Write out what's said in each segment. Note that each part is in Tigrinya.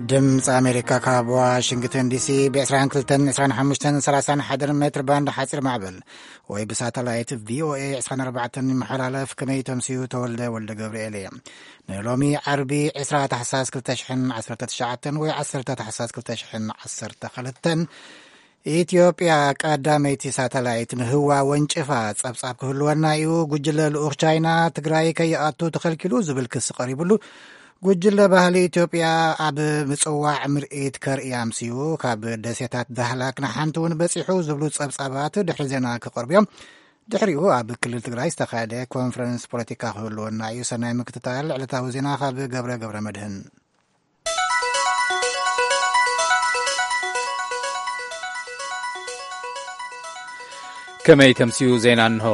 ድምፂ ኣሜሪካ ካብ ዋሽንግተን ዲሲ ብ22፣ 25፣ 31 ሜትር ባንድ ሓፂር ማዕበል ወይ ብሳተላይት ቪኦኤ 24 ይመሓላለፍ። ከመይ ተምስዩ? ተወልደ ወልደ ገብርኤል እየ። ንሎሚ ዓርቢ ዕስራ ታሕሳስ ክልተ ሽሕን ዓሰርተ ትሽዓተን ወይ ዓሰርተ ታሕሳስ ክልተ ሽሕን ዓሰርተ ክልተን፣ ኢትዮጵያ ቀዳመይቲ ሳተላይት ንህዋ ወንጭፋ፣ ጸብጻብ ክህልወና እዩ። ጉጅለ ልኡኽ ቻይና ትግራይ ከይኣቱ ተኸልኪሉ ዝብል ክሲ ቀሪብሉ፣ ጉጅለ ባህሊ ኢትዮጵያ ኣብ ምጽዋዕ ምርኢት ከርኢ ኣምስዩ፣ ካብ ደሴታት ዳህላክ ንሓንቲ እውን በጺሑ ዝብሉ ጸብጻባት ድሕሪ ዜና ክቐርቡ እዮም። ድሕሪኡ ኣብ ክልል ትግራይ ዝተኻየደ ኮንፈረንስ ፖለቲካ ክህልወና እዩ። ሰናይ ምክትታል። ዕለታዊ ዜና ካብ ገብረ ገብረ መድህን። ከመይ ተምስዩ? ዜና እንሆ።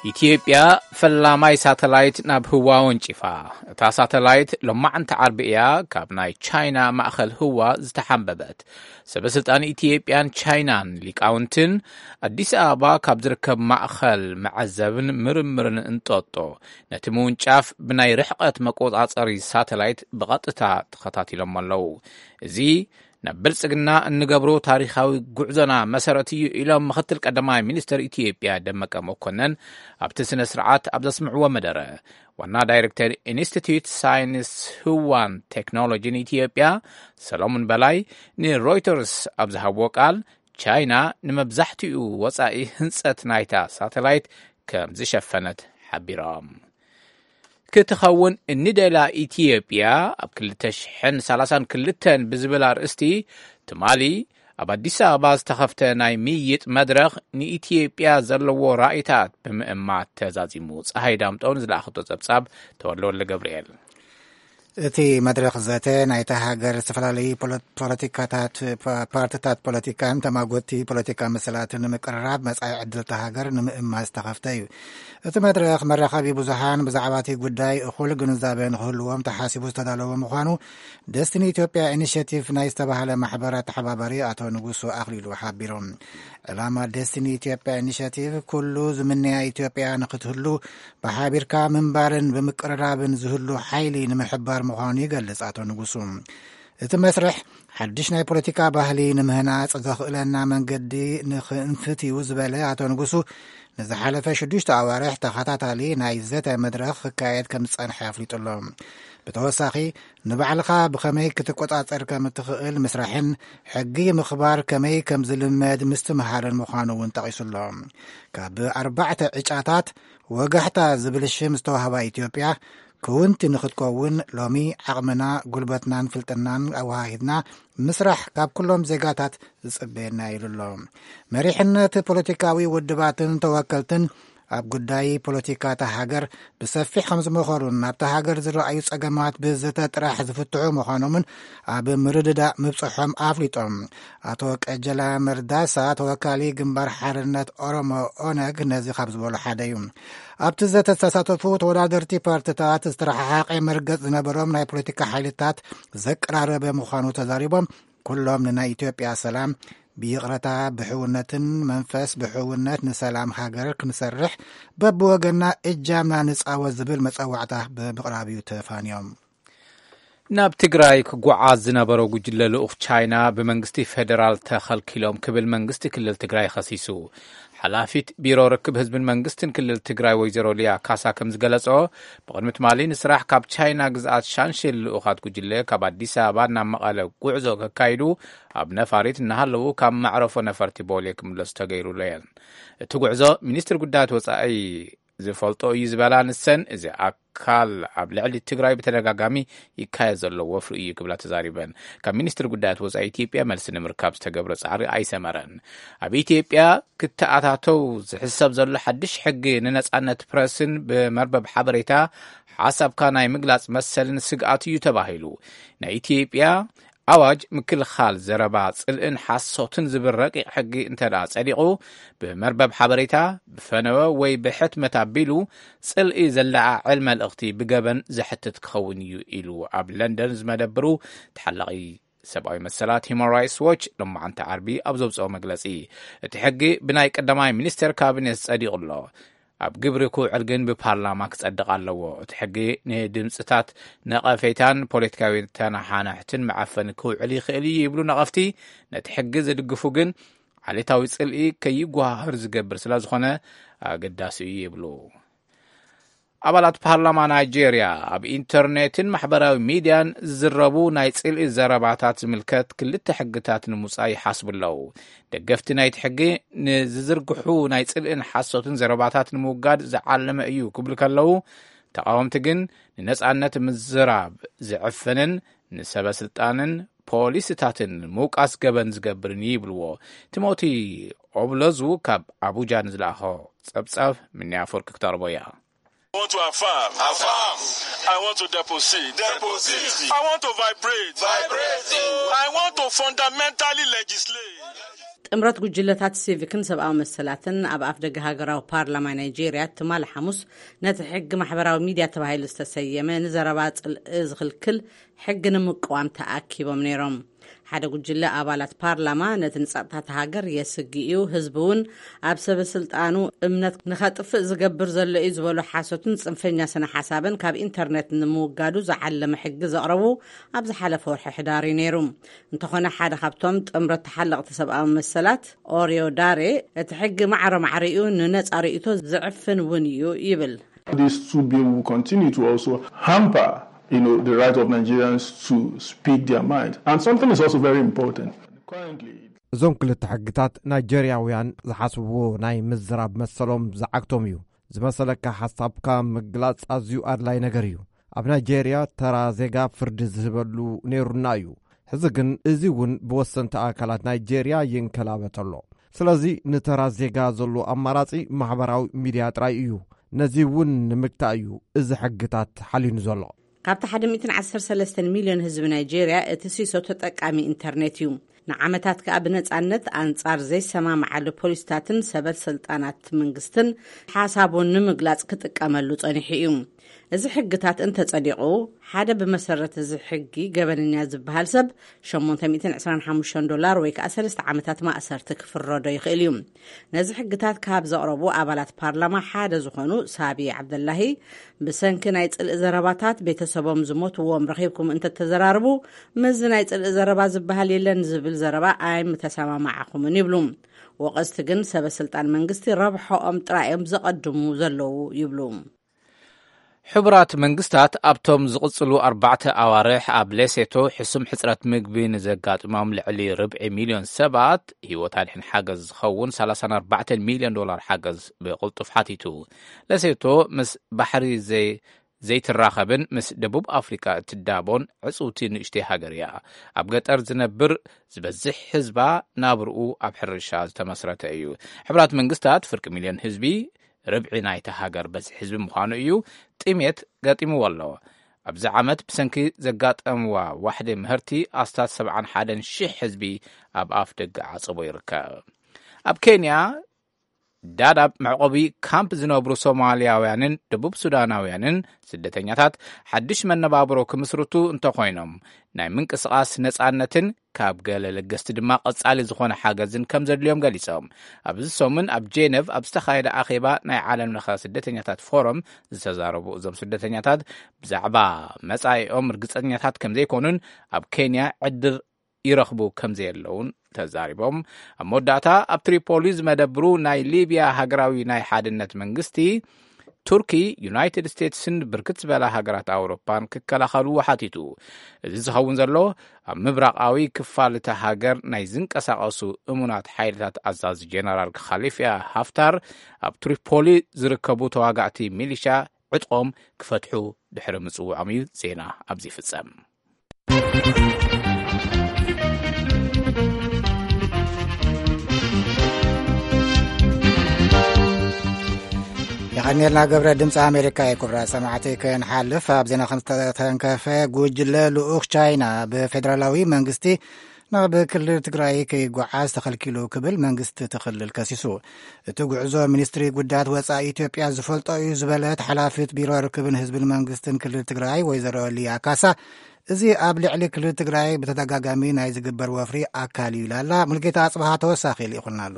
ኢትዮጵያ ፈላማይ ሳተላይት ናብ ህዋ ወንጪፋ። እታ ሳተላይት ሎማዕንቲ ዓርቢ እያ ካብ ናይ ቻይና ማእኸል ህዋ ዝተሓንበበት። ሰበ ስልጣን ኢትዮጵያን ቻይናን ሊቃውንትን ኣዲስ ኣበባ ካብ ዝርከብ ማእኸል መዐዘብን ምርምርን እንጦጦ ነቲ ምውንጫፍ ብናይ ርሕቐት መቆጻጸሪ ሳተላይት ብቐጥታ ተኸታቲሎም ኣለዉ። እዚ ናብ ብልጽግና እንገብሮ ታሪኻዊ ጉዕዞና መሰረት እዩ ኢሎም ምኽትል ቀዳማይ ሚኒስትር ኢትዮጵያ ደመቀ መኮነን ኣብቲ ስነ ስርዓት ኣብ ዘስምዕዎ መደረ። ዋና ዳይሬክተር ኢንስቲትዩት ሳይንስ ህዋን ቴክኖሎጂን ኢትዮጵያ ሰሎሞን በላይ ንሮይተርስ ኣብ ዝሃብዎ ቃል፣ ቻይና ንመብዛሕትኡ ወጻኢ ህንጸት ናይታ ሳተላይት ከም ዝሸፈነት ሓቢሮም። ክትኸውን እንደላ ኢትዮጵያ ኣብ ክልተ ሽሕን ሰላሳን ክልተን ብዝብል ኣርእስቲ ትማሊ ኣብ ኣዲስ ኣበባ ዝተኸፍተ ናይ ምይይጥ መድረኽ ንኢትዮጵያ ዘለዎ ራእይታት ብምእማት ተዛዚሙ። ፀሃይ ዳምጠውን ዝለኣኸቶ ጸብጻብ ተወልደ ወልደ ገብርኤል። እቲ መድረኽ ዘተ ናይታ ሃገር ዝተፈላለዩ ፖለ-፣ ፖለቲካታት፣ ፓ-፣ ፓርቲታት ፖለቲካን ተማጎትቲ ፖለቲካ መሰላትን ንምቅርራብ መጻኢ ዕድልታ ሃገር ንምእማት ዝተኸፍተ እዩ። እቲ መድረኽ መራኸቢ ብዙሃን ብዛዕባ እቲ ጉዳይ እኹል ግንዛበ ንክህልዎም ተሓሲቡ ዝተዳለወ ምዃኑ ደስቲኒ ኢትዮጵያ ኢኒሽቲቭ ናይ ዝተባህለ ማሕበር ኣተሓባባሪ ኣቶ ንጉሱ ኣኽሊሉ ሓቢሮም። ዕላማ ደስቲኒ ኢትዮጵያ ኢኒሽቲቭ ኩሉ ዝምነያ ኢትዮጵያ ንክትህሉ ብሓቢርካ ምንባርን ብምቅርራብን ዝህሉ ሓይሊ ንምሕባር ምዃኑ ይገልጽ ኣቶ ንጉሱ። እቲ መስርሕ ሓድሽ ናይ ፖለቲካ ባህሊ ንምህናጽ ዘኽእለና መንገዲ ንኽንፍት እዩ ዝበለ ኣቶ ንጉሱ፣ ንዝሓለፈ ሽዱሽተ ኣዋርሕ ተኸታታሊ ናይ ዘተ መድረኽ ክካየድ ከም ዝጸንሐ ኣፍሊጡ ኣሎ። ብተወሳኺ፣ ንባዕልኻ ብኸመይ ክትቆጻጸር ከም እትኽእል ምስራሕን ሕጊ ምኽባር ከመይ ከም ዝልመድ ምስትምሃርን ምዃኑ እውን ጠቒሱ ኣሎ። ካብ ኣርባዕተ ዕጫታት ወጋሕታ ዝብል ሽም ዝተዋህባ ኢትዮጵያ፣ ክውንቲ ንኽትከውን ሎሚ ዓቕምና፣ ጉልበትናን ፍልጥናን ኣወሃሂድና ምስራሕ ካብ ኩሎም ዜጋታት ዝጽበየና ኢሉ ኣሎ። መሪሕነት ፖለቲካዊ ውድባትን ተወከልትን ኣብ ጉዳይ ፖለቲካ እታ ሃገር ብሰፊሕ ከም ዝመኸሩን ናብታ ሃገር ዝረኣዩ ጸገማት ብዘተ ጥራሕ ዝፍትሑ ምዃኖምን ኣብ ምርድዳእ ምብጽሖም ኣፍሊጦም። ኣቶ ቀጀላ መርዳሳ ተወካሊ ግንባር ሓርነት ኦሮሞ ኦነግ ነዚ ካብ ዝበሉ ሓደ እዩ። ኣብቲ ዘተ ዝተሳተፉ ተወዳደርቲ ፓርቲታት ዝተረሓሓቐ መርገጽ ዝነበሮም ናይ ፖለቲካ ሓይልታት ዘቀራረበ ምዃኑ ተዛሪቦም፣ ኩሎም ንናይ ኢትዮጵያ ሰላም ብይቕረታ ብሕውነትን መንፈስ ብሕውነት ንሰላም ሃገር ክንሰርሕ በብወገና እጃምና ንጻወት ዝብል መጸዋዕታ ብምቕራብ እዩ ተፋንዮም። ናብ ትግራይ ክጓዓዝ ዝነበሮ ጉጅለ ልኡኽ ቻይና ብመንግስቲ ፌደራል ተኸልኪሎም ክብል መንግስቲ ክልል ትግራይ ኸሲሱ። ሓላፊት ቢሮ ርክብ ህዝብን መንግስትን ክልል ትግራይ ወይዘሮ ሊያ ካሳ ከም ዝገለጾ፣ ብቕድሚ ትማሊ ንስራሕ ካብ ቻይና ግዝኣት ሻንሽል ልኡኻት ጉጅለ ካብ ኣዲስ ኣበባ ናብ መቐለ ጉዕዞ ከካይዱ ኣብ ነፋሪት እናሃለዉ ካብ መዕረፎ ነፈርቲ ቦሌ ክምለሱ ተገይሩለየን። እቲ ጉዕዞ ሚኒስትር ጉዳያት ወጻኢ ዝፈልጦ እዩ ዝበላ ንሰን፣ እዚ ኣካል ኣብ ልዕሊ ትግራይ ብተደጋጋሚ ይካየድ ዘሎ ወፍሪ እዩ ክብላ ተዛሪበን። ካብ ሚኒስትሪ ጉዳያት ወጻኢ ኢትዮጵያ መልሲ ንምርካብ ዝተገብረ ጻዕሪ ኣይሰመረን። ኣብ ኢትዮጵያ ክተኣታተው ዝሕሰብ ዘሎ ሓድሽ ሕጊ ንነጻነት ፕረስን ብመርበብ ሓበሬታ ሓሳብካ ናይ ምግላጽ መሰልን ስግኣት እዩ ተባሂሉ። ናይ ኢትዮጵያ ኣዋጅ ምክልኻል ዘረባ ጽልእን ሓሶትን ዝብል ረቂቕ ሕጊ እንተ ደኣ ጸዲቑ፣ ብመርበብ ሓበሬታ፣ ብፈነወ ወይ ብሕትመት ኣቢሉ ጽልኢ ዘለዓዕል መልእኽቲ ብገበን ዘሕትት ክኸውን እዩ ኢሉ ኣብ ለንደን ዝመደብሩ ተሓላቒ ሰብኣዊ መሰላት ሂማን ራይትስ ዎች ሎማዓንቲ ዓርቢ ኣብ ዘውፅኦ መግለፂ፣ እቲ ሕጊ ብናይ ቀዳማይ ሚኒስቴር ካቢኔት ጸዲቑ ኣሎ። ኣብ ግብሪ ክውዕል ግን ብፓርላማ ክጸድቕ ኣለዎ። እቲ ሕጊ ንድምጽታት፣ ነቐፌታን ፖለቲካዊ ተነሓናሕትን መዓፈኒ ክውዕል ይኽእል እዩ ይብሉ ነቐፍቲ። ነቲ ሕጊ ዝድግፉ ግን ዓሌታዊ ጽልኢ ከይጓሃር ዝገብር ስለ ዝኾነ ኣገዳሲ እዩ ይብሉ። ኣባላት ፓርላማ ናይጄርያ ኣብ ኢንተርኔትን ማሕበራዊ ሚድያን ዝዝረቡ ናይ ጽልኢ ዘረባታት ዝምልከት ክልተ ሕግታት ንምውጻእ ይሓስቡ ኣለዉ። ደገፍቲ ናይቲ ሕጊ ንዝዝርግሑ ናይ ጽልእን ሓሶትን ዘረባታት ንምውጋድ ዝዓለመ እዩ ክብሉ ከለዉ፣ ተቓወምቲ ግን ንነጻነት ምዝራብ ዝዕፍንን ንሰበ ስልጣንን ፖሊስታትን ምውቃስ ገበን ዝገብርን ይብልዎ። ቲሞቲ ኦብለዙ ካብ ኣቡጃ ንዝለኣኾ ጸብጻብ ምንያ ኣፈወርቂ ክተቕርቦ እያ። I want to affirm. Affirm. I want to deposit. Deposit. I want to vibrate. Vibrate. I want to fundamentally legislate. ጥምረት ጉጅለታት ሲቪክን ሰብኣዊ መሰላትን ኣብ ኣፍደገ ሃገራዊ ፓርላማ ናይጄርያ ትማሊ ሓሙስ ነቲ ሕጊ ማሕበራዊ ሚድያ ተባሂሉ ዝተሰየመ ንዘረባ ጽልኢ ዝኽልክል ሕጊ ንምቅዋም ተኣኪቦም ነይሮም። ሓደ ጉጅለ ኣባላት ፓርላማ ነቲ ንጸጥታ እታ ሃገር የስግእ እዩ፣ ህዝቢ እውን ኣብ ሰበ ስልጣኑ እምነት ንኸጥፍእ ዝገብር ዘሎ እዩ ዝበሎ ሓሶትን ጽንፈኛ ስነ ሓሳብን ካብ ኢንተርኔት ንምውጋዱ ዝዓለመ ሕጊ ዘቕረቡ ኣብ ዝሓለፈ ወርሒ ሕዳር እዩ ነይሩ። እንተኾነ ሓደ ካብቶም ጥምረት ተሓለቕቲ ሰብኣዊ መሰላት ኦሪዮ ዳሬ እቲ ሕጊ ማዕረ ማዕሪኡ ንነጻ ርእይቶ ዝዕፍን እውን እዩ ይብል። This two bill will continue to also hamper, you know, the right of Nigerians to speak their mind. And something is also very important. Currently, እዞም ክልተ ሕግታት ናይጀርያውያን ዝሓስብዎ ናይ ምዝራብ መሰሎም ዝዓግቶም እዩ። ዝመሰለካ ሓሳብካ ምግላጽ ኣዝዩ ኣድላይ ነገር እዩ። ኣብ ናይጀርያ ተራ ዜጋ ፍርዲ ዝህበሉ ነይሩና እዩ። ሕዚ ግን እዚ እውን ብወሰንቲ ኣካላት ናይጀርያ ይንከላበ ኣሎ። ስለዚ ንተራ ዜጋ ዘሎ ኣማራጺ ማሕበራዊ ሚድያ ጥራይ እዩ። ነዚ እውን ንምግታእ እዩ እዚ ሕግታት ሓሊኑ ዘሎ። ካብቲ ሓደ ሚእትን ዓሰርተ ሰለስተን ሚልዮን ህዝቢ ናይጄርያ እቲ ሲሶ ተጠቃሚ ኢንተርኔት እዩ። ንዓመታት ከኣ ብነጻነት ኣንጻር ዘይሰማምዓሉ ፖሊስታትን ሰበት ስልጣናት መንግስትን ሓሳቡ ንምግላጽ ክጥቀመሉ ጸኒሑ እዩ። እዚ ሕግታት እንተጸዲቑ፣ ሓደ ብመሰረት እዚ ሕጊ ገበነኛ ዝበሃል ሰብ ሸሞንተ ሚእትን ዕስራን ሓሙሽተን ዶላር ወይ ከኣ ሰለስተ ዓመታት ማእሰርቲ ክፍረዶ ይኽእል እዩ። ነዚ ሕግታት ካብ ዘቕረቡ ኣባላት ፓርላማ ሓደ ዝኾኑ ሳቢ ዓብደላሂ፣ ብሰንኪ ናይ ጽልኢ ዘረባታት ቤተሰቦም ዝሞትዎም ረኺብኩም እንተተዘራርቡ፣ ምስዚ ናይ ጽልኢ ዘረባ ዝበሃል የለን ዝብል ዘረባ ኣይምተሰማማዕኹምን ይብሉ። ወቐስቲ ግን ሰበ ስልጣን መንግስቲ ረብሖኦም ጥራይ እዮም ዘቐድሙ ዘለዉ ይብሉ። ሕቡራት መንግስታት ኣብቶም ዝቕጽሉ ኣርባዕተ ኣዋርሕ ኣብ ሌሴቶ ሕሱም ሕጽረት ምግቢ ንዘጋጥሞም ልዕሊ ርብዒ ሚልዮን ሰባት ህይወት ኣድሕን ሓገዝ ዝኸውን ሰላሳን ኣርባዕተን ሚልዮን ዶላር ሓገዝ ብቕልጡፍ ሓቲቱ። ሌሴቶ ምስ ባሕሪ ዘይ-፣ ዘይትራኸብን ምስ ደቡብ ኣፍሪካ እትዳቦን ዕጽውቲ ንእሽተይ ሃገር እያ። ኣብ ገጠር ዝነብር ዝበዝሕ ህዝባ ናብርኡ ኣብ ሕርሻ ዝተመስረተ እዩ። ሕቡራት መንግስታት ፍርቂ ሚልዮን ህዝቢ፣ ርብዒ ናይታ ሃገር በዝሒ ህዝቢ ምዃኑ እዩ፣ ጥሜት ገጢምዎ ኣሎ። ኣብዚ ዓመት ብሰንኪ ዘጋጠምዋ ዋሕዲ ምህርቲ ኣስታት ሰብዓን ሓደን ሽሕ ህዝቢ ኣብ ኣፍ ደገ ዓጸቦ ይርከብ። ኣብ ኬንያ ዳዳብ መዕቆቢ ካምፕ ዝነብሩ ሶማልያውያንን ደቡብ ሱዳናውያንን ስደተኛታት ሓድሽ መነባብሮ ክምስርቱ እንተኾይኖም ናይ ምንቅስቓስ ነጻነትን ካብ ገለ ለገስቲ ድማ ቀጻሊ ዝኾነ ሓገዝን ከም ዘድልዮም ገሊጾም። ኣብዚ ሰሙን ኣብ ጄነቭ ኣብ ዝተኻየደ ኣኼባ ናይ ዓለም ለኸ ስደተኛታት ፎረም ዝተዛረቡ እዞም ስደተኛታት ብዛዕባ መጻኢኦም ርግጸኛታት ከም ዘይኮኑን ኣብ ኬንያ ዕድል ይረኽቡ ከም ዘየለውን ተዛሪቦም። ኣብ መወዳእታ ኣብ ትሪፖሊ ዝመደብሩ ናይ ሊብያ ሃገራዊ ናይ ሓድነት መንግስቲ ቱርኪ፣ ዩናይትድ ስቴትስን ብርክት ዝበላ ሃገራት ኣውሮፓን ክከላኸልዎ ሓቲቱ። እዚ ዝኸውን ዘሎ ኣብ ምብራቓዊ ክፋል እታ ሃገር ናይ ዝንቀሳቐሱ እሙናት ሓይልታት ኣዛዚ ጀነራል ካሊፊያ ሃፍታር ኣብ ትሪፖሊ ዝርከቡ ተዋጋእቲ ሚሊሻ ዕጥቖም ክፈትሑ ድሕሪ ምጽውዖም እዩ። ዜና ኣብዚ ይፍጸም። የቐንየልና ገብረ። ድምፂ ኣሜሪካ እዩ። ክቡራት ሰማዕቲ፣ ክንሓልፍ ኣብ ዜና ከም ዝተተንከፈ፣ ጉጅለ ልኡኽ ቻይና ብፌደራላዊ መንግስቲ ናብ ክልል ትግራይ ከይጓዓዝ ተኸልኪሉ ክብል መንግስቲ እቲ ክልል ከሲሱ። እቲ ጉዕዞ ሚኒስትሪ ጉዳያት ወፃኢ ኢትዮጵያ ዝፈልጦ እዩ ዝበለት ሓላፊት ቢሮ ርክብን ህዝብን መንግስትን ክልል ትግራይ ወይዘሮ ሊያ ካሳ፣ እዚ ኣብ ልዕሊ ክልል ትግራይ ብተደጋጋሚ ናይ ዝግበር ወፍሪ ኣካል እዩ ኢላላ። ሙልጌታ ኣፅብሃ ተወሳኺ ልኢኹልና ኣሎ።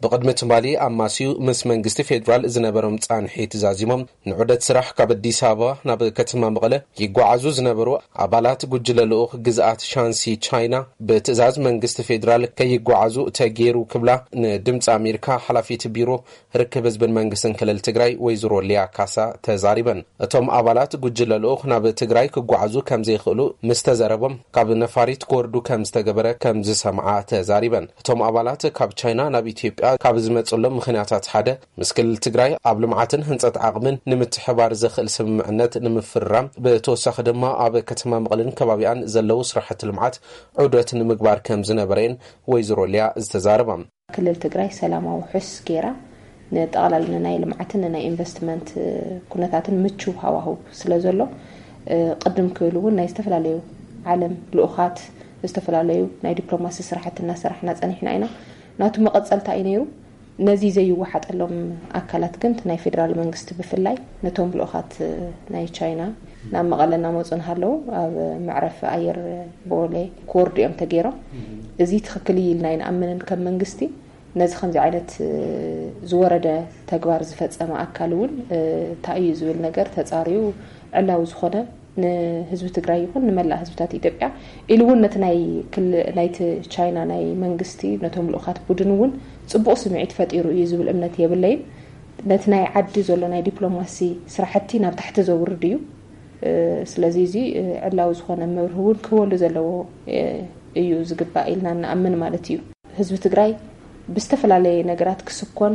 ብቕድሚ ትማሊ ኣማስዩ ምስ መንግስቲ ፌዴራል ዝነበሮም ጻንሒት ዛዚሞም፣ ንዑደት ስራሕ ካብ ኣዲስ ኣበባ ናብ ከተማ መቐለ ይጓዓዙ ዝነበሩ ኣባላት ጉጅለ ልኡኽ ግዝኣት ሻንሲ ቻይና ብትእዛዝ መንግስቲ ፌዴራል ከይጓዓዙ ተገይሩ ክብላ ንድምፂ ኣሜሪካ ሓላፊት ቢሮ ርክብ ህዝብን መንግስትን ክልል ትግራይ ወይዘሮ ሊያ ካሳ ተዛሪበን። እቶም ኣባላት ጉጅለ ልኡኽ ናብ ትግራይ ክጓዓዙ ከም ዘይኽእሉ ምስ ተዘረቦም፣ ካብ ነፋሪት ክወርዱ ከም ዝተገበረ ከም ዝሰምዓ ተዛሪበን። እቶም ኣባላት ካብ ቻይና ናብ ኢትዮጵያ ካብ ዝመፅሎም ምኽንያታት ሓደ፣ ምስ ክልል ትግራይ ኣብ ልምዓትን ህንፀት ዓቕምን ንምትሕባር ዘኽእል ስምምዕነት ንምፍርራም፣ ብተወሳኺ ድማ ኣብ ከተማ መቐለን ከባቢኣን ዘለዉ ስራሕቲ ልምዓት ዑደት ንምግባር ከም ዝነበረን ወይዘሮ ሊያ ዝተዛረባ። ክልል ትግራይ ሰላማዊ ውሑስ ገይራ ንጠቕላላ ናይ ልምዓትን ናይ ኢንቨስትመንት ኩነታትን ምቹው ሃዋህው ስለ ዘሎ፣ ቅድም ክብል እውን ናይ ዝተፈላለዩ ዓለም ልኡኻት፣ ዝተፈላለዩ ናይ ዲፕሎማሲ ስራሕቲ እናሰራሕና ጸኒሕና ኢና። ናቱ መቐጸልታ እዩ ነይሩ። ነዚ ዘይወሓጠሎም ኣካላት ግን እቲ ናይ ፌዴራል መንግስቲ ብፍላይ ነቶም ልኡኻት ናይ ቻይና ናብ መቐለ እናመፁ እንሃለዉ ኣብ መዕረፊ ኣየር ቦሌ ክወርዱ እዮም ተገይሮም። እዚ ትኽክል እዩ ኢልና ኣይንኣምንን ከም መንግስቲ። ነዚ ከምዚ ዓይነት ዝወረደ ተግባር ዝፈጸመ ኣካል እውን እንታይ እዩ ዝብል ነገር ተጻርዩ ዕላዊ ዝኾነ ንህዝቢ ትግራይ ይኹን ንመላእ ህዝብታት ኢትዮጵያ ኢሉ እውን ነቲ ናይ ክል ናይቲ ቻይና ናይ መንግስቲ ነቶም ልኡኻት ቡድን እውን ጽቡቕ ስምዒት ፈጢሩ እዩ ዝብል እምነት የብለይን። ነቲ ናይ ዓዲ ዘሎ ናይ ዲፕሎማሲ ስራሕቲ ናብ ታሕቲ ዘውርድ እዩ። ስለዚ እዚ ዕላዊ ዝኾነ መብርሂ እውን ክህበሉ ዘለዎ እዩ ዝግባእ ኢልና ንኣምን ማለት እዩ። ህዝቢ ትግራይ ብዝተፈላለየ ነገራት ክስኮን፣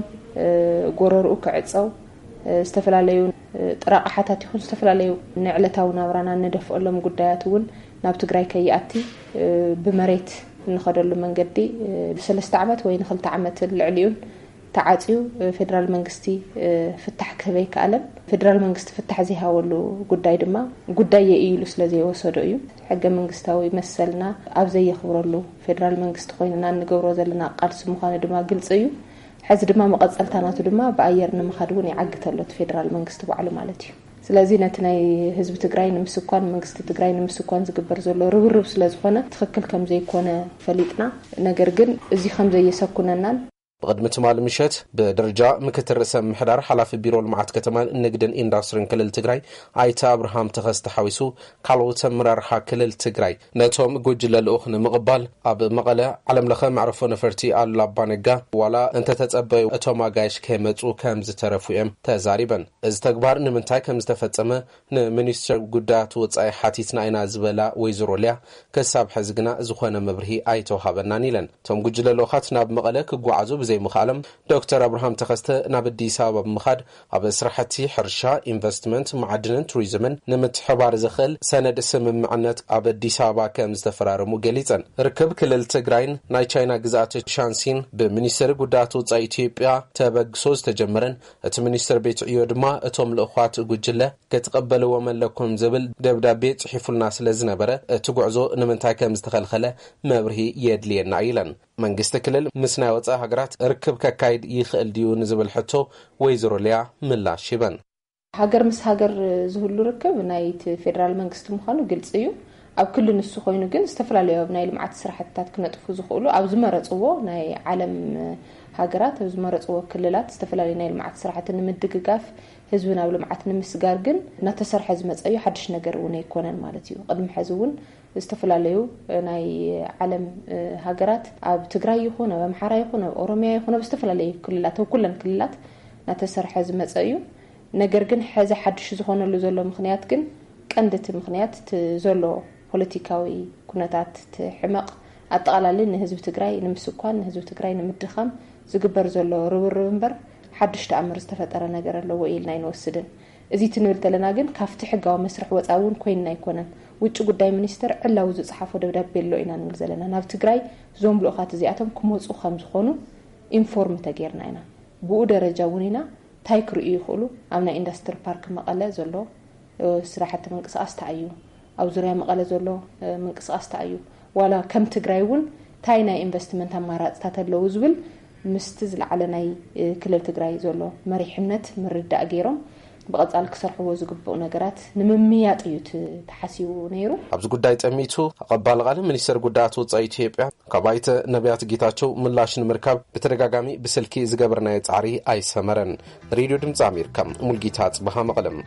ጎረርኡ ክዕፀው፣ ዝተፈላለዩ ጥራቕሓታት ይኹን ዝተፈላለዩ ንዕለታዊ ናብራና እነደፍኦሎም ጉዳያት እውን ናብ ትግራይ ከይኣቲ ብመሬት እንኸደሉ መንገዲ ሰለስተ ዓመት ወይ ንክልተ ዓመት ልዕሊኡን ተዓፅዩ ፌደራል መንግስቲ ፍታሕ ክህበ ኣይከኣለን። ፌደራል መንግስቲ ፍታሕ ዘይሃበሉ ጉዳይ ድማ ጉዳይ እየ ኢሉ ስለ ዘይወሰዶ እዩ። ሕገ መንግስታዊ መሰልና ኣብ ዘየኽብረሉ ፌደራል መንግስቲ ኮይንና እንገብሮ ዘለና ቃልሲ ምዃኑ ድማ ግልፂ እዩ። ሕዚ ድማ መቐፀልታ ናቱ ድማ ብኣየር ንምኻድ እውን ይዓግት ኣሎ እቲ ፌደራል መንግስቲ ባዕሉ ማለት እዩ። ስለዚ ነቲ ናይ ህዝቢ ትግራይ ንምስኳን መንግስቲ ትግራይ ንምስኳን ዝግበር ዘሎ ርብርብ ስለ ዝኾነ ትኽክል ከም ዘይኮነ ፈሊጥና፣ ነገር ግን እዚ ከም ዘየሰኩነናን ብቕድሚ ትማሊ ምሸት ብደረጃ ምክትል ርእሰ ምምሕዳር ሓላፊ ቢሮ ልምዓት ከተማን ንግድን ኢንዳስትሪን ክልል ትግራይ ኣይተ ኣብርሃም ተኸስተ ሓዊሱ ካልኦት ኣመራርሓ ክልል ትግራይ ነቶም ጉጅለ ልኡኽ ንምቕባል ኣብ መቐለ ዓለም ለኸ መዕረፎ ነፈርቲ ኣሉላ ኣባነጋ ዋላ እንተተጸበዩ እቶም ኣጋይሽ ከይመጹ ከም ዝተረፉ እዮም ተዛሪበን። እዚ ተግባር ንምንታይ ከም ዝተፈጸመ ንሚኒስትር ጉዳያት ወጻኢ ሓቲትና ኢና ዝበላ ወይዘሮ ሊያ፣ ክሳብ ሕዚ ግና ዝኾነ መብርሂ ኣይተውሃበናን ኢለን። እቶም ጉጅለ ልኡኻት ናብ መቐለ ክጓዓዙ ብዘይምኽኣሎም፣ ዶክተር ኣብርሃም ተኸስተ ናብ ኣዲስ ኣበባ ብምኻድ ኣብ ስራሕቲ ሕርሻ፣ ኢንቨስትመንት፣ መዓድንን ቱሪዝምን ንምትሕባር ዘኽእል ሰነድ ስምምዕነት ኣብ ኣዲስ ኣበባ ከም ዝተፈራረሙ ገሊጸን። ርክብ ክልል ትግራይን ናይ ቻይና ግዝኣት ሻንሲን ብሚኒስትሪ ጉዳያት ወጻኢ ኢትዮጵያ ተበግሶ ዝተጀመረን እቲ ሚኒስትር ቤት ዕዮ ድማ እቶም ልኡኻት ጉጅለ ክትቕበልዎም ኣለኩም ዝብል ደብዳቤ ጽሒፉልና ስለ ዝነበረ፣ እቲ ጉዕዞ ንምንታይ ከም ዝተኸልኸለ መብርሂ የድልየና ኢለን። መንግስቲ ክልል ምስ ናይ ወጻኢ ሃገራት ርክብ ከካይድ ይኽእል ድዩ ንዝብል ሕቶ ወይዘሮ ሊያ ምላሽ ሂበን። ሃገር ምስ ሃገር ዝህሉ ርክብ ናይቲ ፌደራል መንግስቲ ምዃኑ ግልጺ እዩ። ኣብ ክሊ ንሱ ኮይኑ ግን ዝተፈላለዩ ኣብ ናይ ልምዓት ስራሕትታት ክነጥፉ ዝኽእሉ ኣብ ዝመረጽዎ ናይ ዓለም ሃገራት፣ ኣብ ዝመረጽዎ ክልላት ዝተፈላለዩ ናይ ልምዓት ስራሕቲ ንምድግጋፍ ህዝቢ ናብ ልምዓት ንምስጋር ግን እናተሰርሐ ዝመጸ እዩ። ሓድሽ ነገር እውን ኣይኮነን ማለት እዩ። ቅድሚ ሕዚ እውን ዝተፈላለዩ ናይ ዓለም ሃገራት ኣብ ትግራይ ይኹን ኣብ ኣምሓራ ይኹን ኣብ ኦሮሚያ ይኹን ኣብ ዝተፈላለዩ ክልላት ኣብ ኩለን ክልላት እናተሰርሐ ዝመጸ እዩ። ነገር ግን ሕዚ ሓድሽ ዝኾነሉ ዘሎ ምኽንያት ግን ቀንዲ እቲ ምኽንያት እቲ ዘሎ ፖለቲካዊ ኩነታት እቲ ሕመቕ ኣጠቓላሊ ንህዝቢ ትግራይ ንምስኳን ንህዝቢ ትግራይ ንምድኻም ዝግበር ዘሎ ርብርብ እምበር ሓድሽ ተኣምር ዝተፈጠረ ነገር ኣለዎ ኢልና ኣይንወስድን። እዚ ትንብል ዘለና ግን ካብቲ ሕጋዊ መስርሕ ወፃኢ እውን ኮይንና ኣይኮነን። ውጭ ጉዳይ ሚኒስተር ዕላዊ ዝፀሓፎ ደብዳቤ ኣሎ ኢና ንብል ዘለና። ናብ ትግራይ እዞም ልኡኻት እዚኣቶም ክመፁ ከም ዝኾኑ ኢንፎርም ተገይርና ኢና። ብኡ ደረጃ እውን ኢና እንታይ ክርእዩ ይኽእሉ? ኣብ ናይ ኢንዱስትሪ ፓርክ መቐለ ዘሎ ስራሕቲ ምንቅስቃስ እንታይ እዩ? ኣብ ዙርያ መቐለ ዘሎ ምንቅስቃስ እንታይ እዩ? ዋላ ከም ትግራይ እውን እንታይ ናይ ኢንቨስትመንት ኣማራፅታት ኣለዉ ዝብል ምስቲ ዝለዓለ ናይ ክልል ትግራይ ዘሎ መሪሕነት ምርዳእ ገይሮም ብቐጻሊ ክሰርሕዎ ዝግብኡ ነገራት ንምምያጥ እዩ እቲ ተሓሲቡ ነይሩ። ኣብዚ ጉዳይ ጠሚቱ ኣቐባሊ ቃል ሚኒስተር ጉዳያት ወጻኢ ኢትዮጵያ ካብ ኣይተ ነቢያት ጌታቸው ምላሽ ንምርካብ ብተደጋጋሚ ብስልኪ ዝገበርናዮ ጻዕሪ ኣይሰመረን። ሬድዮ ድምጺ ኣሜሪካ፣ ሙልጌታ ጽበሃ፣ መቐለም።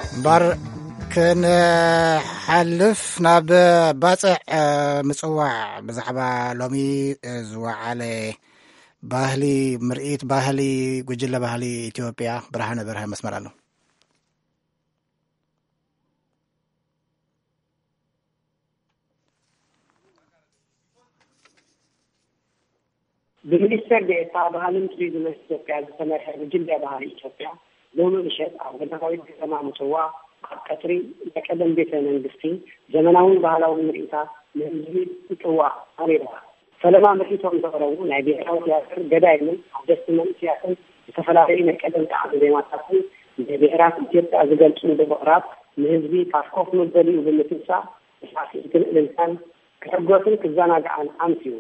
እምበር ክንሓልፍ ናብ ባጽዕ፣ እ፣ ምጽዋዕ ብዛዕባ ሎሚ፣ እ፣ ዝወዓለ ባህሊ ምርኢት ባህሊ ጉጅለ ባህሊ ኢትዮጵያ ብርሃነ በርሀ መስመር ኣሎ። ብሚኒስትር ዴኤታ ባህልን ቱሪዝምን ኢትዮጵያ ዝተመርሐ ጉጅለ ባህሊ ኢትዮጵያ ሎሚ ምሸት ኣብ ገዳማዊት ከተማ ምጽዋ ኣብ ቀጽሪ ናይ ቀደም ቤተ መንግስቲ ዘመናውን ባህላውን ምርኢታት ንህዝቢ ምጽዋ ኣቕሪባ። ፈለማ ምርኢቶም ዘቕረቡ ናይ ብሄራዊ ቲያትር ገዳይምን ሓደስቲ መንእስያትን ዝተፈላለዩ ናይ ቀደም ጣዕሚ ዜማታትን ንብሄራት ኢትዮጵያ ዝገልጹ ብምቕራብ ንህዝቢ ካብ ኮፍ መበሊኡ ብምትንሳእ ብሳዕስዒትን እልልታን ክሕጎስን ክዘናግዓን ኣምስዩ።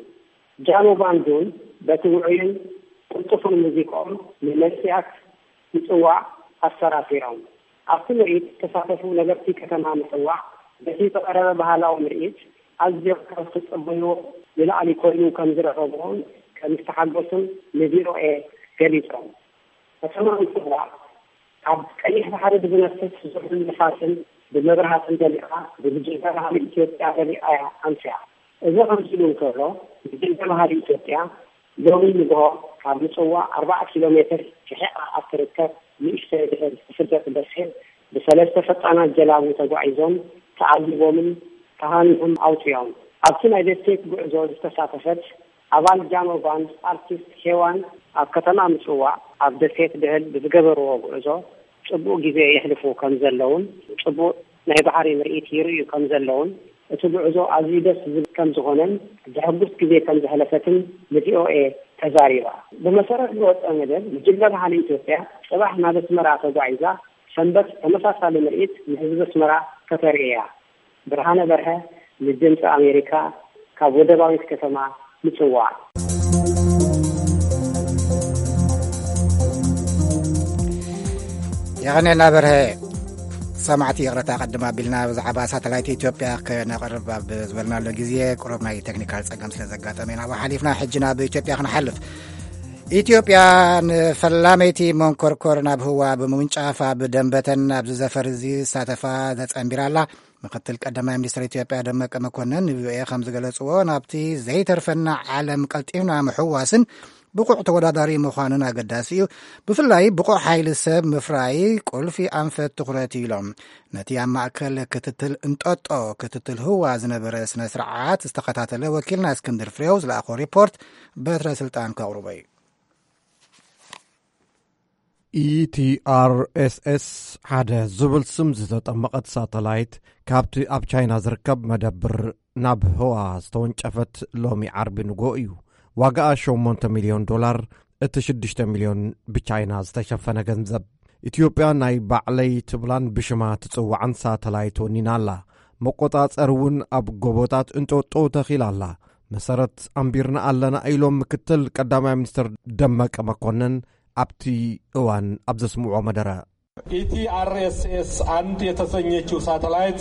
ጃኖ ባንዱን በቲ ውዑይን ቅልጡፍን ሙዚቃኦም ንመንእስያት ምጽዋዕ ኣሰራሲሮም። ኣብቲ ምርኢት ዝተሳተፉ ነበርቲ ከተማ ምጽዋዕ በቲ ዝቐረበ ባህላዊ ምርኢት ኣዝዮም ካብ ዝተጸበይዎ ንላዕሊ ኮይኑ ከም ዝረኸብዎን ከም ዝተሓጎሱን ንቪኦኤ ገሊጾም። ከተማ ምጽዋዕ ካብ ቀይሕ ባሕሪ ብዝነፍስ ዝሑል ንፋስን ብመብራህትን ደሚቓ ብጉጅለ ባህሊ ኢትዮጵያ ደሚቓ እያ ኣምስያ። እዚ ከምዚ ኢሉ እንከሎ፣ ጉጅለ ባህሊ ኢትዮጵያ ሎሚ ንግሆ ካብ ምጽዋ ኣርባዓ ኪሎ ሜትር ርሒቓ ኣብ ትርከብ ንእሽተይ ድሕር ትፍለጥ ደሴት ብሰለስተ ፈጣናት ጀላቡ ተጓዒዞም ተዓዚቦምን ተሃኒኦም ኣውጺኦም። ኣብቲ ናይ ደሴት ጉዕዞ ዝተሳተፈት ኣባል ጃኖ ባንድ ኣርቲስት ሄዋን ኣብ ከተማ ምጽዋዕ ኣብ ደሴት ድህል ብዝገበርዎ ጉዕዞ ጽቡቕ ግዜ የሕልፉ ከም ዘለውን ጽቡቕ ናይ ባሕሪ ምርኢት ይርእዩ ከም ዘለውን እቲ ጉዕዞ ኣዝዩ ደስ ዝብል ከም ዝኾነን ዘሐጉስ ግዜ ከም ዘሕለፈትን ንቪኦኤ ተዛሪባ። ብመሰረት ዝወጸ መደብ ጉጅለ ባህሊ ኢትዮጵያ ጽባሕ ናብ ኣስመራ ተጓዒዛ ሰንበት ተመሳሳሊ ምርኢት ንህዝቢ ኣስመራ ከተርኢ እያ። ብርሃነ በርሀ ንድምፂ ኣሜሪካ ካብ ወደባዊት ከተማ ምጽዋዕ። የቐኔልና በርሀ። ሰማዕቲ ይቕረታ ቅድም ኣቢልና ብዛዕባ ሳተላይት ኢትዮጵያ ከነቕርብ ኣብ ዝበልናሉ ግዜ ቁሩብ ናይ ቴክኒካል ጸገም ስለ ዘጋጠመ ኢና ሓሊፍና። ሕጂ ናብ ኢትዮጵያ ክንሓልፍ። ኢትዮጵያ ንፈላመይቲ መንኮርኮር ናብ ህዋ ብምውንጫፍ ኣብ ደንበተን ኣብዚ ዘፈር እዚ ዝሳተፋ ተጸንቢራ ኣላ። ምክትል ቀዳማይ ሚኒስትር ኢትዮጵያ ደመቀ መኮንን ንቪኦኤ ከም ዝገለጽዎ፣ ናብቲ ዘይተርፈና ዓለም ቀልጢፍና ምሕዋስን ብቑዕ ተወዳዳሪ ምዃንን ኣገዳሲ እዩ። ብፍላይ ብቑዕ ሓይሊ ሰብ ምፍራይ ቁልፊ ኣንፈት ትኹረት እዩ ኢሎም። ነቲ ኣብ ማእከል ክትትል እንጠጦ ክትትል ህዋ ዝነበረ ስነ ስርዓት ዝተኸታተለ ወኪልና እስክንድር ፍሬው ዝለኣኾ ሪፖርት በትረ ስልጣን ከቕርቦ እዩ። ኢቲኣርኤስኤስ ሓደ ዝብል ስም ዝተጠመቐት ሳተላይት ካብቲ ኣብ ቻይና ዝርከብ መደብር ናብ ህዋ ዝተወንጨፈት ሎሚ ዓርቢ ንግሆ እዩ። ዋጋኣ ሸሞንተ ሚልዮን ዶላር፣ እቲ ሽዱሽተ ሚልዮን ብቻይና ዝተሸፈነ ገንዘብ። ኢትዮጵያ ናይ ባዕለይ ትብላን ብሽማ ትጽዋዕን ሳተላይት ወኒና ኣላ። መቆጻጸሪ እውን ኣብ ጎቦታት እንጦጦ ተኺላ ኣላ። መሰረት ኣንቢርና ኣለና ኢሎም ምክትል ቀዳማይ ሚኒስትር ደመቀ መኮንን ኣብቲ እዋን ኣብ ዘስምዕዎ መደረ። ኢቲ አር ኤስ ኤስ አንድ የተሰኘችው ሳተላይት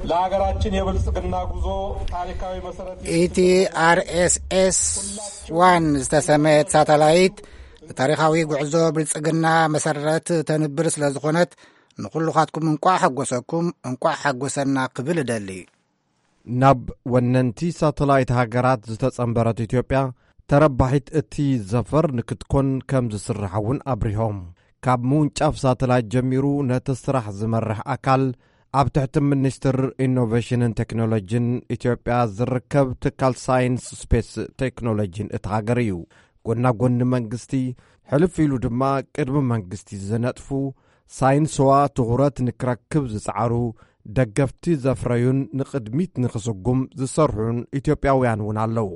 ለሀገራችን የብልጽግና ጉዞ ታሪካዊ መሰረት ኢቲ ኣር ኤስ ኤስ ዋን ዝተሰመየት ሳተላይት ንታሪኻዊ ጉዕዞ ብልጽግና መሰረት ተንብር ስለ ዝኾነት ንኹልኻትኩም እንቋዕ ሓጎሰኩም፣ እንቋዕ ሓጎሰና ክብል እደሊ። ናብ ወነንቲ ሳተላይት ሃገራት ዝተጸንበረት ኢትዮጵያ ተረባሒት እቲ ዘፈር ንክትኮን ከም ዝስራሕ እውን ኣብሪሆም። ካብ ምውንጫፍ ሳተላይት ጀሚሩ ነቲ ስራሕ ዝመርሕ ኣካል ኣብ ትሕቲ ሚኒስትር ኢኖቬሽንን ቴክኖሎጂን ኢትዮጵያ ዝርከብ ትካል ሳይንስ ስፔስ ቴክኖሎጂን እታ ሃገር እዩ። ጎና ጎኒ መንግስቲ፣ ሕልፍ ኢሉ ድማ ቅድሚ መንግስቲ ዝነጥፉ ሳይንስዋ ትኹረት ንክረክብ ዝጸዓሩ ደገፍቲ ዘፍረዩን ንቕድሚት ንኽስጉም ዝሰርሑን ኢትዮጵያውያን እውን ኣለዉ።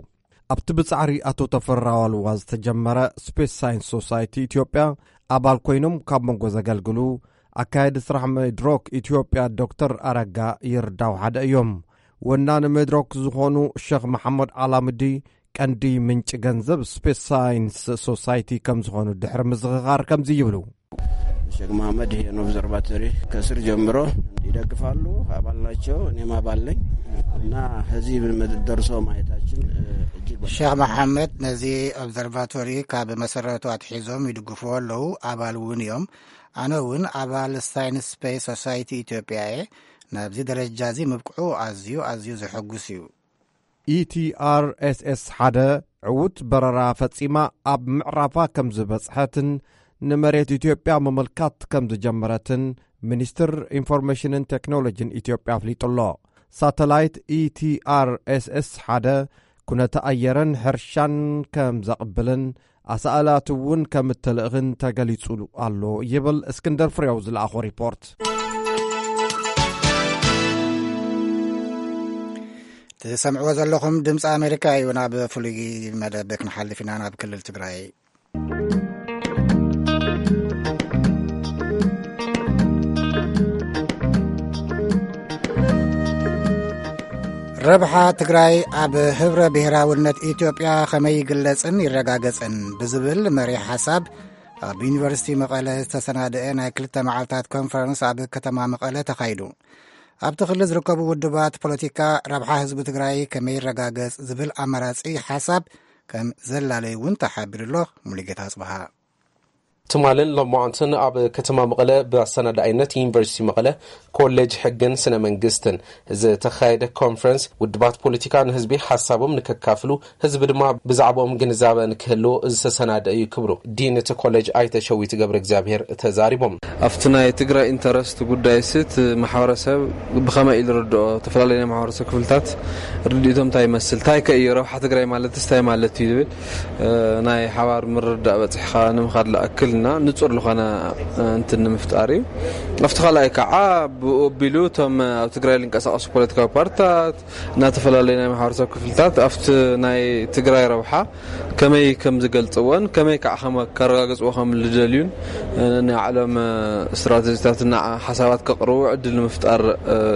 ኣብቲ ብጻዕሪ ኣቶ ተፈራ ዋልዋ ዝተጀመረ ስፔስ ሳይንስ ሶሳይቲ ኢትዮጵያ ኣባል ኮይኖም ካብ መንጎ ዘገልግሉ ኣካየዲ ስራሕ መድሮክ ኢትዮጵያ ዶክተር ኣረጋ ይርዳው ሓደ እዮም። ወናኒ መድረክ ዝኾኑ ሸኽ መሓመድ ኣላምዲ፣ ቀንዲ ምንጪ ገንዘብ ስፔስ ሳይንስ ሶሳይቲ ከም ዝኾኑ ድሕሪ ምዝኽኻር ከምዚ ይብሉ። ሸክ መሐመድ ይሄን ኦብዘርቫቶሪ ከስር ጀምሮ ይደግፋሉ። አባል ናቸው፣ እኔም አባል ነኝ። እና ከዚህ የምንደርሰው ማየታችን እጅግ በጣም ሸክ መሐመድ ነዚ ኦብዘርቫቶሪ ካብ መሰረቱ ኣትሒዞም ይድግፍዎ ኣለዉ፣ ኣባል እውን እዮም። ኣነ እውን ኣባል ሳይንስ ስፔስ ሶሳይቲ ኢትዮጵያ እየ። ናብዚ ደረጃ እዚ ምብቅዑ ኣዝዩ ኣዝዩ ዘሐጉስ እዩ። ኢቲኣርኤስኤስ ሓደ ዕዉት በረራ ፈጺማ ኣብ ምዕራፋ ከም ዝበጽሐትን ንመሬት ኢትዮጵያ ምምልካት ከም ዝጀመረትን ሚኒስትር ኢንፎርሜሽንን ቴክኖሎጂን ኢትዮጵያ ኣፍሊጡ ኣሎ። ሳተላይት ኢቲኣርኤስኤስ ሓደ ኩነተ ኣየርን ሕርሻን ከም ዘቕብልን ኣሳእላት እውን ከም እተልእኽን ተገሊጹ ኣሎ ይብል እስክንደር ፍሬው ዝለኣኾ ሪፖርት። ትሰምዕዎ ዘለኹም ድምፂ ኣሜሪካ እዩ። ናብ ፍሉይ መደብ ክንሓልፍ ኢና፣ ናብ ክልል ትግራይ። ረብሓ ትግራይ ኣብ ህብረ ብሔራውነት ኢትዮጵያ ከመይ ይግለጽን ይረጋገጽን ብዝብል መሪሕ ሓሳብ ኣብ ዩኒቨርሲቲ መቐለ ዝተሰናደአ ናይ ክልተ መዓልታት ኮንፈረንስ ኣብ ከተማ መቐለ ተኻይዱ። ኣብቲ ክልል ዝርከቡ ውድባት ፖለቲካ ረብሓ ህዝቢ ትግራይ ከመይ ይረጋገጽ ዝብል ኣማራጺ ሓሳብ ከም ዘላለዩ እውን ተሓቢሩ ኣሎ። ሙሉጌታ ኣጽብሃ። ትማልን ሎማዓንትን ኣብ ከተማ መቐለ ብኣሰናዳኢነት ዩኒቨርሲቲ መቐለ ኮሌጅ ሕግን ስነ መንግስትን ዝተኻየደ ኮንፈረንስ ውድባት ፖለቲካ ንህዝቢ ሓሳቦም ንከካፍሉ ህዝቢ ድማ ብዛዕባኦም ግንዛበ ንክህልዎ ዝተሰናደ እዩ ክብሉ ዲን እቲ ኮሌጅ ኣይተ ሸዊት ገብረ እግዚኣብሔር ተዛሪቦም። ኣብቲ ናይ ትግራይ ኢንተረስት ጉዳይ ሲ እቲ ማሕበረሰብ ብኸመይ ኢሉ ርድኦ፣ ዝተፈላለዩ ናይ ማሕበረሰብ ክፍልታት ርድኢቶም እንታይ ይመስል፣ እንታይ ከ እዩ ረብሓ ትግራይ ማለት እንታይ ማለት እዩ ዝብል ናይ ሓባር ምርዳእ በፂሕኻ ንምኻድ ዝኣክልና ንፁር ዝኾነ እንትን ንምፍጣር እዩ። ኣብቲ ካልኣይ ከዓ ብኡ ኣቢሉ እቶም ኣብ ትግራይ ዝንቀሳቐሱ ፖለቲካዊ ፓርትታት እናተፈላለዩ ናይ ማሕበረሰብ ክፍልታት ኣብቲ ናይ ትግራይ ረብሓ ከመይ ከም ዝገልፅዎን ከመይ ከዓ ከረጋግፅዎ ከም ዝደልዩን ናይ ዓለም ስትራተጂታት እና ሓሳባት ከቕርቡ ዕድል ንምፍጣር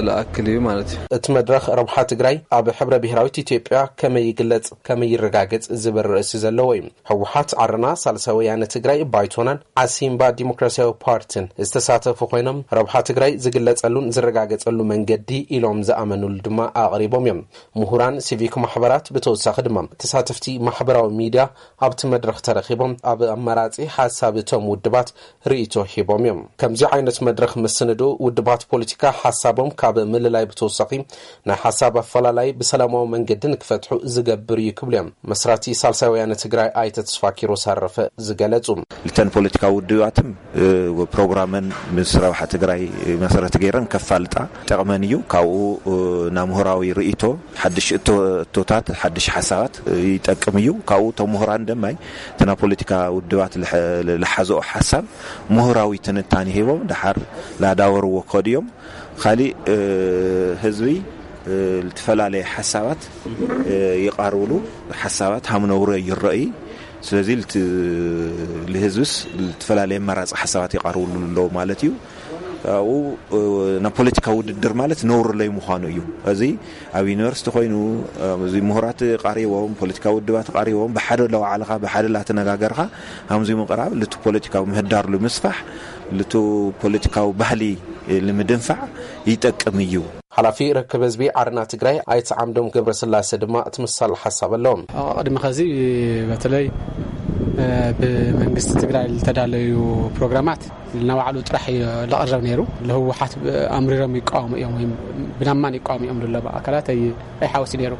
ዝኣክል እዩ ማለት እዩ። እቲ መድረኽ ረብሓ ትግራይ ኣብ ሕብረ ብሄራዊት ኢትዮጵያ ከመይ ይግለፅ፣ ከመይ ይረጋገፅ ዝብል ርእሲ ዘለዎ እዩ። ህወሓት፣ ዓረና፣ ሳልሳይ ወያነ ትግራይ፣ ባይቶናን ዓሲምባ ዲሞክራሲያዊ ፓርቲን ዝተሳተፉ ኮይኖም ረብሓ ትግራይ ዝግለፀሉን ዝረጋገፀሉ መንገዲ ኢሎም ዝኣመኑሉ ድማ ኣቕሪቦም እዮም። ምሁራን፣ ሲቪክ ማሕበራት ብተወሳኺ ድማ ተሳተፍቲ ማሕበራዊ ሚድያ ኣብቲ መድረኽ ተረኺቦም ኣብ ኣመራፂ ሓሳብ እቶም ውድባት ርእይቶ ሂቦም እዮም። ከምዚ ዓይነት መድረኽ ምስንዱ ውድባት ፖለቲካ ሓሳቦም ካብ ምልላይ ብተወሳኺ ናይ ሓሳብ ኣፈላላይ ብሰላማዊ መንገዲ ንክፈትሑ ዝገብር እዩ ክብሉ እዮም መስራቲ ሳልሳይ ወያነ ትግራይ ኣይተ ተስፋ ኪሮስ ኣረፈ ዝገለጹ። ልተን ፖለቲካዊ ውድባትም ፕሮግራመን ምስ ረብሓ ትግራይ መሰረት ገይረን ከፋልጣ ጠቕመን እዩ። ካብኡ ናብ ምሁራዊ ርእይቶ ሓድሽ እቶታት ሓድሽ ሓሳባት ይጠቅም እዩ። ካብኡ እቶም ምሁራን ደማይ እቲ ናይ ፖለቲካ ውድባት ዝሓዝኦ ሓሳብ ምሁራዊ ትንታኔ ሂቦም ድሓር ላዳወርዎ ክኸዱ እዮም። ካሊእ ህዝቢ ዝተፈላለየ ሓሳባት ይቐርብሉ፣ ሓሳባት ሃምነውረ ይረእይ። ስለዚ ልህዝብስ ዝተፈላለየ ኣማራፂ ሓሳባት ይቐርብሉ ኣለዉ ማለት እዩ። ኣብኡ ናይ ፖለቲካ ውድድር ማለት ነውሪ ለይ ምዃኑ እዩ። እዚ ኣብ ዩኒቨርሲቲ ኮይኑ እዚ ምሁራት ቀሪቦም ፖለቲካ ውድባት ቀሪቦም ብሓደ ለዋዕልኻ ብሓደ ላተነጋገርካ ከምዚ ምቕራብ ልቱ ፖለቲካዊ ምህዳር ልምስፋሕ ልቱ ፖለቲካዊ ባህሊ ንምድንፋዕ ይጠቅም እዩ። ሓላፊ ርክብ ህዝቢ ዓረና ትግራይ ኣይተ ዓምዶም ገብረስላሴ ድማ ትምሳል ሓሳብ ኣለዎም። ቅድሚ ከዚ በተለይ ብመንግስቲ ትግራይ ዝተዳለዩ ፕሮግራማት ንባዕሉ ጥራሕ ለቕረብ ነይሩ። ለህወሓት ኣምሪሮም ይቃወሙ እዮም ወይም ብናማን ይቃወሙ እዮም ዝለቡ ኣካላት ኣይሓወሲ ነይሩ።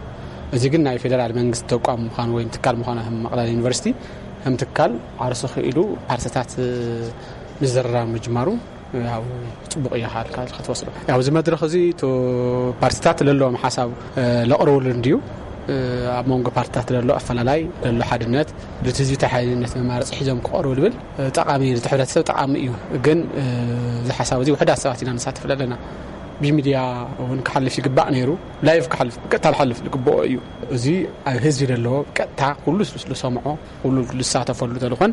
እዚ ግን ናይ ፌደራል መንግስቲ ተቋም ምዃኑ ወይም ትካል ምዃኑ ከም መቕለል ዩኒቨርሲቲ ከም ትካል ዓርሱ ክኢሉ ፓርቲታት ምዝርራብ ምጅማሩ ያው ጽቡቕ እዩ። ሓልካ ክትወስዶ ያው እዚ መድረኽ እዚ ፓርቲታት ለለዎም ሓሳብ ለቕርብሉ እንድዩ። ኣብ መንጎ ፓርቲታት ለሎ ኣፈላላይ ለሎ ሓድነት ብቲ ህዝቢ ተሓይነት መማረፂ ሒዞም ክቐርቡ ልብል ጠቓሚ እዩ። እቲ ሕብረተሰብ ጠቓሚ እዩ። ግን እዚ ሓሳብ እዚ ውሕዳት ሰባት ኢና ንሳተፍ ዘለና። ብሚድያ እውን ክሓልፍ ይግባእ ነይሩ። ላይቭ ክሓልፍ ቀጥታ ክሓልፍ ዝግብኦ እዩ። እዚ ኣብ ህዝቢ ለለዎ ቀጥታ ኩሉ ዝሰምዖ ኩሉ ዝሳተፈሉ ተልኾን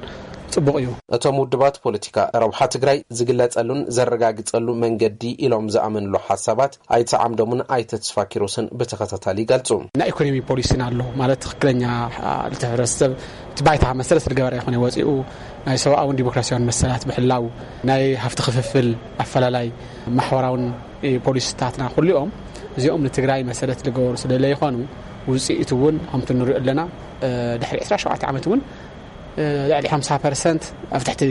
ጽቡቕ እዩ። እቶም ውድባት ፖለቲካ ረብሓ ትግራይ ዝግለጸሉን ዘረጋግጸሉ መንገዲ ኢሎም ዝኣመንሉ ሓሳባት ኣይተ ዓምዶምን ኣይተ ተስፋኪሮስን ብተኸታታሊ ይገልጹ። ናይ ኢኮኖሚ ፖሊሲን ኣሎ ማለት ትኽክለኛ፣ አ፣ እቲ ሕብረተሰብ እቲ ባይታ መሰረት ዝገበረ ይኾነ ወፂኡ ናይ ሰብኣውን ዲሞክራሲያውን መሰላት ብሕላው ናይ ሃፍቲ ክፍፍል ኣፈላላይ ማሕበራውን ፖሊሲታትና ኩሊኦም እዚኦም ንትግራይ መሰረት ዝገበሩ ስለለ ይኾኑ ውፅኢት እውን ከምቲ ንሪኦ ኣለና። እ፣ ድሕሪ ዕስራ ሸውዓተ ዓመት እውን ልዕሊ ሓምሳ ፐርሰንት ኣብ ትሕቲ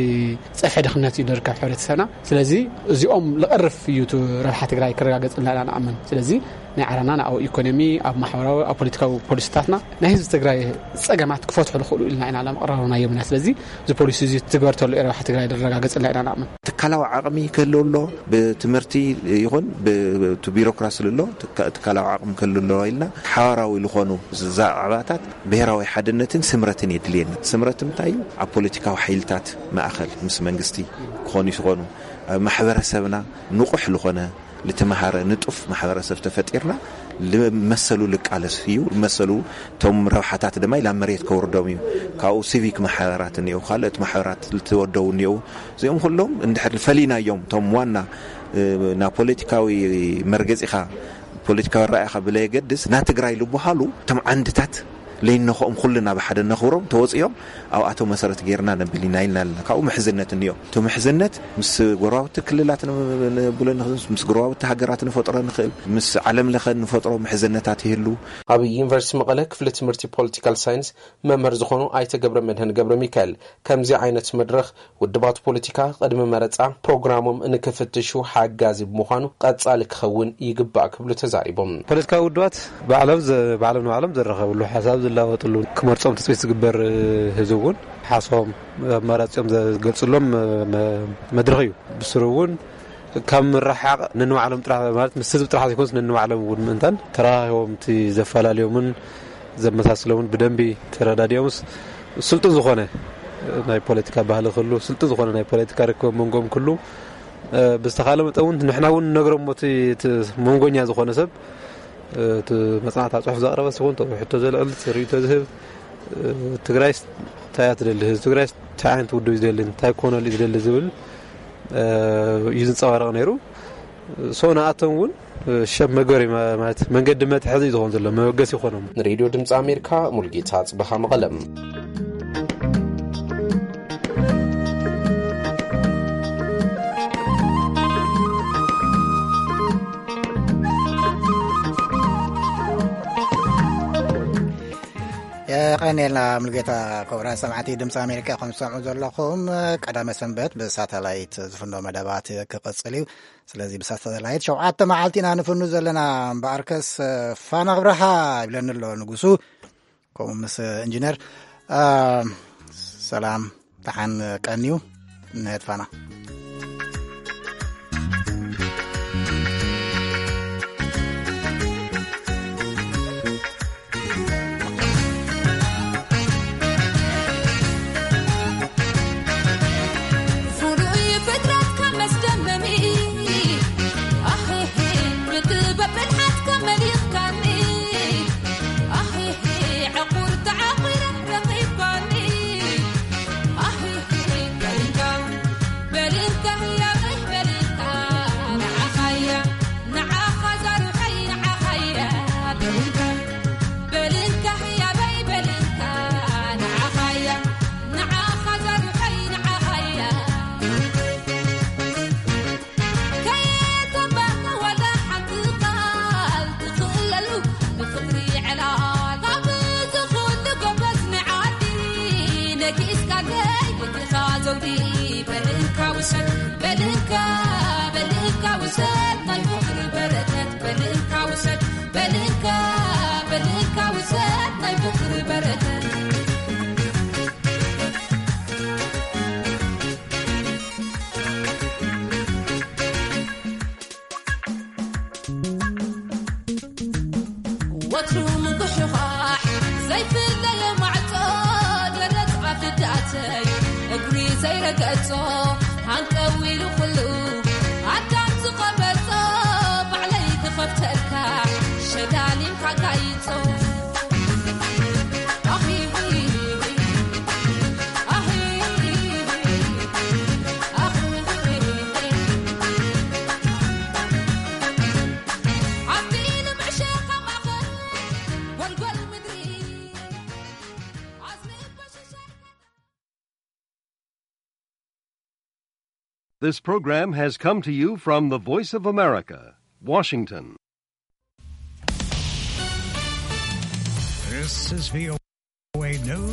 ፀፍሒ ድኽነት እዩ ዝርከብ ሕብረተሰብና። ስለዚ እዚኦም ልቐርፍ እዩ እቲ ረብሓ ትግራይ ክረጋገፅልና ኢና ንኣምን። ስለዚ ናይ ዓረና ንኣው ኢኮኖሚ ኣብ ማሕበራዊ ኣብ ፖለቲካዊ ፖሊሲታትና ናይ ህዝቢ ትግራይ ፀገማት ክፈትሑ ዝኽእሉ ኢልና ኢና ላምቕረብና የምና። ስለዚ እዚ ፖሊሲ እዚ ትግበር ተሎ ረብሓ ትግራይ ዝረጋገፅልና ኢና ንኣምን። ትካላዊ ዓቕሚ ክህልው ኣሎ። ብትምህርቲ ይኹን ብቲ ቢሮክራሲ ኣሎ ትካ- ትካላዊ ዓቕሚ ክህልው ኣሎ ኢልና ሓዋራዊ ዝኾኑ ዛዕባታት ብሔራዊ ሓድነትን ስምረትን የድልየና። ስምረት እንታይ እዩ? ኣብ ፖለቲካዊ ሓይልታት ማእኸል ምስ መንግስቲ ክኾኑ ይኾኑ፣ ኣብ ማሕበረሰብና ንቑሕ ዝኾነ ልተመሃረ ንጡፍ ማሕበረሰብ ተፈጢርና ልመሰሉ ልቃለስ እዩ። ልመሰሉ እቶም ረብሓታት ድማ ኢላ መሬት ከውርዶም እዩ። ካብኡ ሲቪክ ማሕበራት እኒኦ፣ ካልኦት ማሕበራት ልተወደው እኒኦ። እዚኦም ኩሎም እንድሕር ፈሊናዮም እቶም ዋና፣ እ፣ ናብ ፖለቲካዊ መርገፂኻ ፖለቲካዊ ራእይኻ ብለየገድስ ና ትግራይ ልበሃሉ እቶም ዓንድታት ለይነኸኦም ኩልና ብሓደ ነኽብሮም ተወፂኦም ኣብኣቶም መሰረት ጌርና ነብል ኢና ኢልና ኣለና። ካብኡ ምሕዝነት እኒኦ። እቲ ምሕዝነት ምስ ጎረባብቲ ክልላት ን- ንብሎ ንኽእል፣ ምስ ጎረባብቲ ሃገራት ንፈጥሮ ንኽእል፣ ምስ ዓለም ለኸ ንፈጥሮ ምሕዝነታት ይህሉ። ኣብ ዩኒቨርሲቲ መቐለ ክፍሊ ትምህርቲ ፖለቲካል ሳይንስ መምህር ዝኾኑ ኣይተ ገብረ መድህን ገብረ ሚካኤል ከምዚ ዓይነት መድረኽ ውድባት ፖለቲካ ቅድሚ መረፃ ፕሮግራሞም ንክፍትሹ ሓጋዚ ብምዃኑ ቀፃሊ ክኸውን ይግባእ ክብሉ ተዛሪቦም። ፖለቲካዊ ውድባት ባዕሎም ዘ- ባዕሎም ንባዕሎም ዘራኸብሉ ሓሳብ ዝላወጥሉ ክመርፆም ትፅቢት ዝግበር ህዝቢ እውን ሓሶም ኣማራፂኦም ዘገልፅሎም መ- መድረኽ እዩ። ብስሩ እውን ካብ ምርሓቕ ነንባዕሎም ጥራሕ ማለት ምስ ህዝቢ ጥራሕ ዘይኮንስ ነንባዕሎም እውን ምእንታን ተራኻኺቦም እቲ ዘፈላለዮምን ዘመሳስሎምን ብደንቢ ተረዳዲኦምስ ስልጡን ዝኾነ ናይ ፖለቲካ ባህሊ ክህሉ፣ ስልጡን ዝኾነ ናይ ፖለቲካ ርክብ መንጎም ክህሉ፣ እ፣ ብዝተኻለ መጠን እውን ንሕና እውን ንነግሮም እቲ እቲ መንጎኛ ዝኾነ ሰብ፣ እ፣ እቲ መጽናዕታ ጽሑፍ ዘቕረበ ሲኹን፣ እቲ ሕቶ ዘልዕል፣ እቲ ርእይቶ ዝህብ፣ እ፣ ትግራይስ እንታይ እያ ትደሊ፣ ህዝቢ ትግራይስ እንታይ ዓይነት ውድብ እዩ ዝደሊ፣ እንታይ ክኾነሉ እዩ ዝደሊ ዝብል፣ እ፣ እዩ ዝንጸባረቕ ነይሩ። ሶ ንኣቶም እውን ሸብ መገሪ ማ- ማለት መንገዲ መትሐዚ እዩ ዝኾን ዘሎ፣ መበገሲ ይኾኖም። ንሬድዮ ድምፂ ኣሜሪካ ሙልጌታ ጽበኻ መቐለም። የቐኔልና ሙልጌታ። ክቡራት ሰማዕቲ ድምፂ ኣሜሪካ ከም ትሰምዑ ዘለኹም ቀዳመ ሰንበት ብሳተላይት ዝፍኖ መደባት ክቕፅል እዩ። ስለዚ ብሳተላይት ሸውዓተ መዓልቲ ኢና ንፍኑ ዘለና። እምበኣርከስ ፋና ኣብርሃ ይብለኒ ኣሎ ንጉሱ፣ ከምኡ ምስ ኢንጂነር። አ፣ ሰላም፣ ደሓን ቀንዩ። ንህት ፋና። ፍሉይ ፍጥረትካ መስደመሚ፣ ኣህሄ፣ ብጥበብ ብልሓትካ መሊኽካኒ፣ ኣህሄ፣ ዕቑር ተዓቒረ ረኺባኒ፣ ኣህሄ፣ በልካ፣ በልካ፣ ያበይ በልካ፣ ንዓኻያ፣ ንዓኻ ዛሩሐይ፣ ንዓኻያ፣ በልካ፣ በልካ፣ ያበይ በልካ፣ ንዓኻያ፣ ንዓኻ ዛሩሐይ፣ ንዓኻያ። ከየተባህና ዋላ ሓንቲ ቃል ትኽእለሉ ብፍቕሪ ዕላል ካብ ዝኹሉ ጎበዝ ንዓዲ ነጊስካ ከይድልኻ ዘውዲ በልካ ውሰድ በልካ በልካ ውሰድ ናይ ፍቕሪ በረከት በልካ ውሰድ በልካ በልካ ውሰድ ናይ ፍቕሪ በረከት። ወትሩ ምጉሕዃሕ ዘይፍለየ ማዕጾ ደረት ኣፍዳተይ እግሪ ዘይረገጾ ሃንቀው ኢሉ ኩሉ ኣዳም ዝቐበጾ ባዕለይ ክኸፍተልካ ሸዳሊምካ ጋይጾ። ኣኺ፣ ኣኺ፣ This program has come to you from the Voice of America, Washington. This is V O A News.